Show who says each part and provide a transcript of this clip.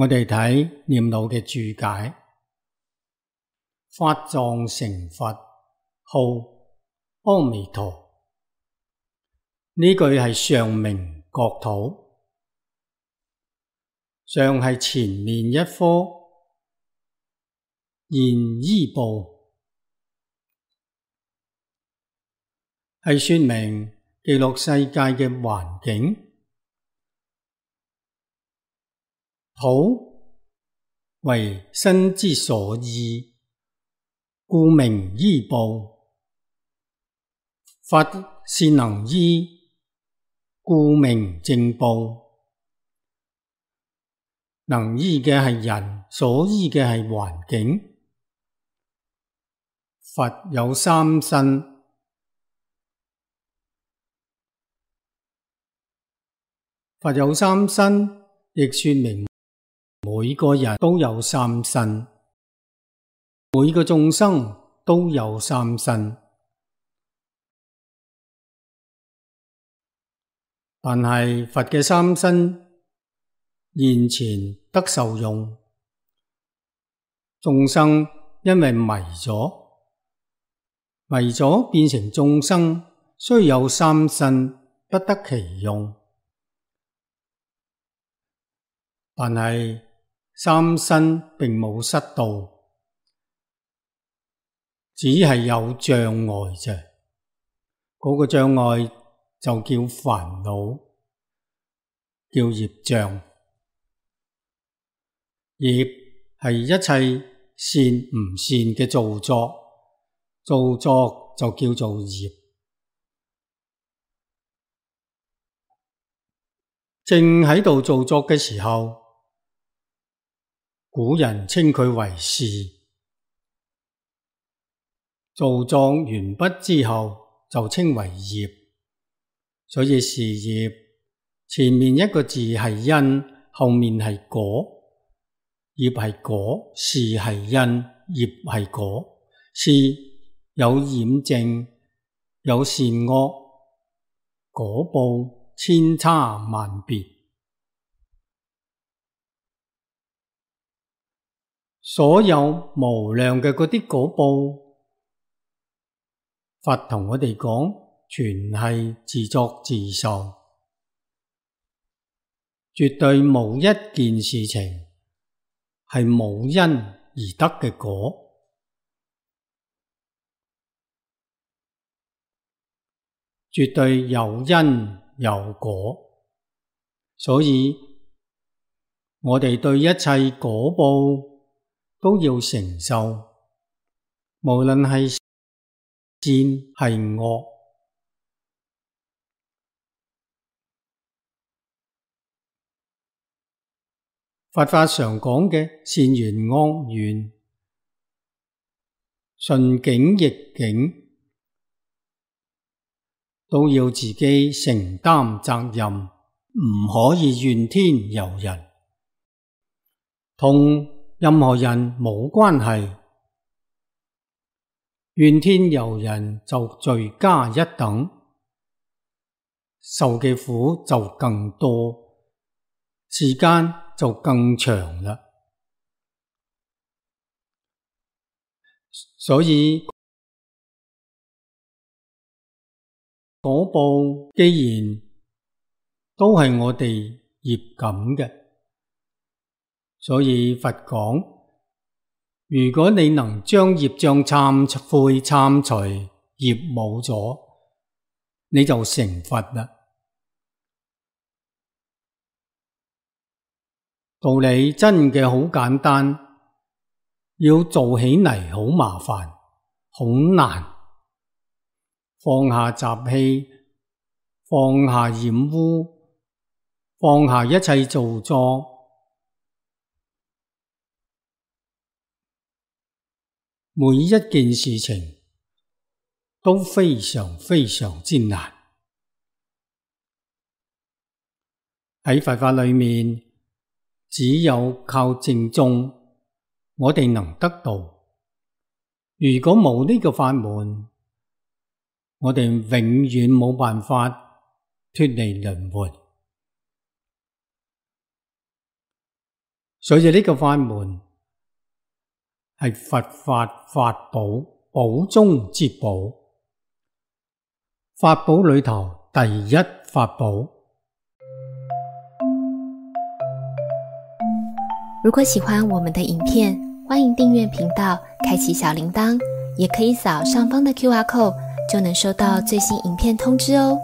Speaker 1: 我哋睇念老嘅注解，法藏成佛，號阿彌陀。呢句係上明國土，上係前面一科，現依報，係說明記錄世界嘅環境。土為身之所依，故名依報。佛是能依，故名正報。能依嘅係人，所依嘅係環境。佛有三身，佛有三身，亦說明每個人都有三身，每個眾生都有三身。但係佛嘅三身現前得受用，眾生因為迷咗變成眾生，雖有三身，不得其用。但係三身並冇失道，只係有障礙啫。嗰個障礙就叫煩惱，叫業障。業係一切善唔善嘅造作，造作就叫做業。正喺度造作嘅時候，古人稱佢為事，造作完畢之後就稱為業。所以事業前面一個字係因，後面係果。業係果，事係因，業係果。事有染淨，有善惡，果報千差萬別。所有無量嘅嗰啲果報，佛同我哋講，全係自作自受，絕對冇一件事情係冇因而得嘅果，絕對有因有果。所以我哋對一切果報都要承受，無論係善係惡。佛法常講嘅善緣惡緣，順境逆境，都要自己承擔責任，唔可以怨天尤人，同任何人冇關係。怨天尤人就罪加一等，受嘅苦就更多，時間就更長啦。所以果報既然都係我哋業感嘅，所以佛講，如果你能將業障懺悔懺除，業冇咗，你就成佛啦。道理真嘅好簡單，要做起嚟好麻煩，好難。放下習氣，放下染污，放下一切造作，每一件事情都非常非常之難。喺佛法裏面，只有靠正宗，我哋能得到。如果冇呢個法門，我哋永遠冇辦法脫離輪迴。所以呢個法門係佛法法寶，寶中之寶，法寶裏頭第一法寶。
Speaker 2: 如果喜歡我們的影片，歡迎訂閱頻道，開啟小鈴鐺，也可以掃上方的QR code，就能收到最新影片通知哦。